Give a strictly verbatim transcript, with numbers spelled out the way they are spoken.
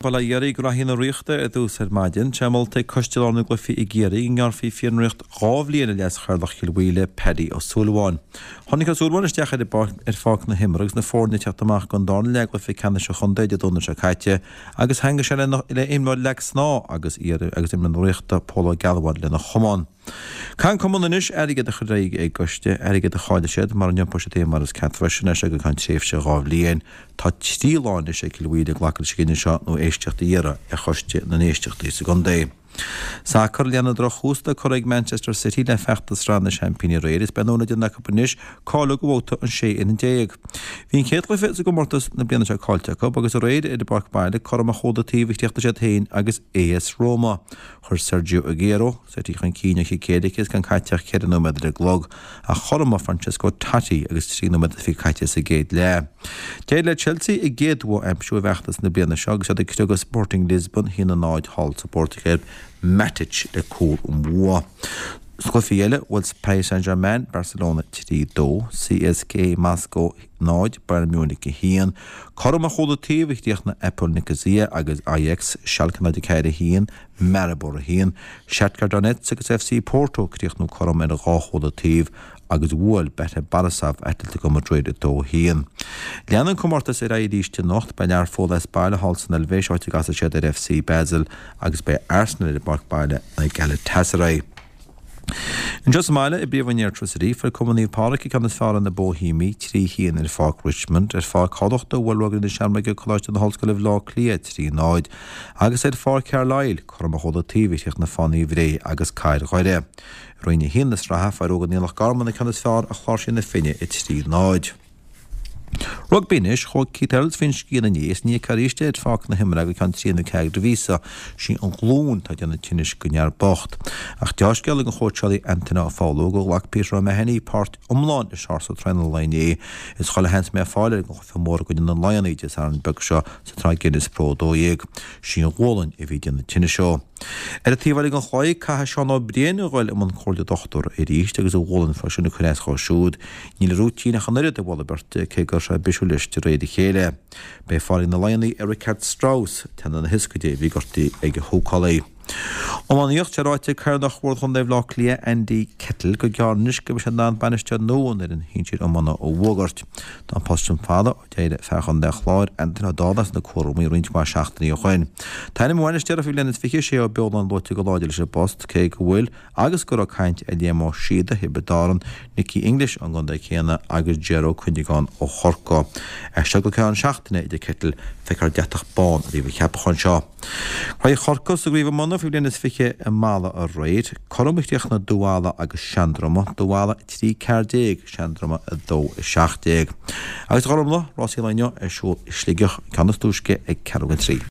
Bail ó Dhia oraibh, Graithí na Ríochta ar dtús ar maidin. Tá sé molta ag Coiste Lárnach na gCluichí i gCiarraí go ngearrfaí fionraíocht dhá bhliain ar leas-chathaoirleach Chill Mhaoile, Paddy Ó Súilleabháin. Tháinig Ó Súilleabháin isteach ar ar pháirc na himeartha agus na foirne ag teacht amach don darna leath i gcluiche ceannais an chontae Dé Domhnaigh seo caite agus theangaigh sé le imreoir leac snámha agus agus imreoir na Ríochta, Pól Ó Gealbháin lena chamán. Caithfidh an cumann anois airgead a chur ar aghaidh ag an gcoiste, airgead a chaill siad mara n-iompóidh siad féin mar is ceart freisin as seo go ceann tréimhse dhá bhliain. Tá trí lá anois ag Cill Mhaoile glacadh leis an gcinneadh seo nó éisteacht a iarraidh ar choiste na n-éisteachtaí sa gcontae. Sacar, Leanann drochthús atá curtha ag Manchester City le feachtas Sraith na Seaimpíní aréir is beidh an uair acu anois cáiliú do bhabhta an sé fhoireann déag. Bhí an chéad chluiche sa gcomórtas na bliana seo caillte acu agus aréir ar a bpáirc baile cothrom a chúl an taobh a chríochnaigh siad féin agus AS Roma. Chuir Sergio Aguero City chun cinn ó chic éirice is gan caite ach ceithre nóiméad ar an gclog, ach chothromaigh Francesco Totti agus trí nóiméad is fiche caite sa gcéad leath. D'éirigh le Chelsea a gcéad bhua a aimsiú i bhfeachtas na bliana seo agus iad ag criogadh Sporting Lisbon a haon a náid thall sa bPortaingéil, Matic le cúl an bhua. Sna cluichí eile, bhuail Paris Saint-Germain Barcelona trí dó, CSKA Moscow náid, Bayern Munich a haon. Cothrom a chúl an taobh a chríochnaigh Apoel Nicosia agus Ajax, Schalke náid a ceathair a haon, Maribor a haon. Shakhtar Donetsk agus F C Porto críochnú cothrom ar dhá chúl an taobh agus bhuail Bate Borisov Atletico Madrid a dó a haon. Leanann an comórtas ar aghaidh arís anocht, beidh Learpholl as baile thall san Eilvéis áit a gcasfaidh siad ar F C Basel agus beidh Arsenal ar a bpáirc baile in aghaidh Galatasaray. Anseo sa mbaile i bPríomhroinn Airtricity, fuair Cumann Naomh Pádraig an ceann is fearr ar na Bohemiaigh, trí haon ar Pháirc Richmond, ar Pháirc Thamhlachta bhuail Rugbaí na Seamróige Coláiste na hOllscoile Bhaile Átha Cliath trí náid, agus ar Pháirc Carlisle, cothrom a chúl an taobh a chríochnaigh Fánaí Bhré agus Cathair Dhoire. I Roinn a haon na sraithe, fuair Óga Loch Garman an ceann is fearr ar Chláirsigh na Finne, a trí náid. Rugbaí anois, chuaigh Keith Earls faoin scian inné is ní fheicfear arís é ar pháirc na himeartha go ceann trí nó ceathair de mhíosa. Sí an ghlúin atá ag déanamh tinnis don fhear bocht. Ach deá-scéal ag an chóitseálaí Antaine Ó Foghlú gur ghlac Peter O'Mahony páirt iomlán i seársa traenála an lae inné. Is chuile sheans a mbeidh fáil air don chluiche mór i gcoinne na Laigheanaigh Dé Sathairn beag seo sa tsraith Guinness Pro a dó dhéag. Sí an ghualainn a bhí ag déanamh tinnis dó. Ar an taobh eile den chlaí, caithfidh Seán Ó Briain a dhul i mbun comhairle dochtúra arís agus a ghualainn freisin ag cur as dhó siúd. Níl rúitín ach an oiread ag mholadh beirte, cé go raibh sé bisiúil leis de réir a chéile. Beidh fáil ag na Laigheanaigh ar Richard Strauss, teannta na hioscaide a bhí gortaithe ag a húcálaí. Iománaíocht, Sé ráite ag Cathaoirleach Bhord Chontae Bhaile Átha Cliath, Andy Kettle, gur gearr anois go mbeidh sé in ann bainisteoir nua an fhoireann shinsir iomána a fhógairt. Tá an post sin fada ó d'éirigh fear Chontae an Chláir, Anthony Ó Dálaigh, as na cúraimí roinnt mhaith seachtainí ó shoin. Tá ainm an bhainisteora faoi bhliain is fiche, Shea Ó Beoláin luaite go láidir leis an bpost, cé go bhfuil agus go raibh caint ar Liam Ó Síoda, Thiobraid Árann, Nicky English ón gcontae céanna agus Ger Ó Cuinneagáin ó Chorcaigh. As seo go ceann seachtaine, a deir Kettle, feicfear deatach bán i dtaobh an cheapacháin seo. Craobh Chorcaí sa gcraobh iomána faoi bhliain is fiche i Mala aréir. Cothrom a chríochnaigh Dún Mhala agus Seandroma, Dún Mhala a trí ceathair déag, Seandroma a dó a seacht déag. Agus a Ghormfhlaith, rásaí an lae inniu ar siúl i Sligeach, ceann is túisce ag ceathrú don trí.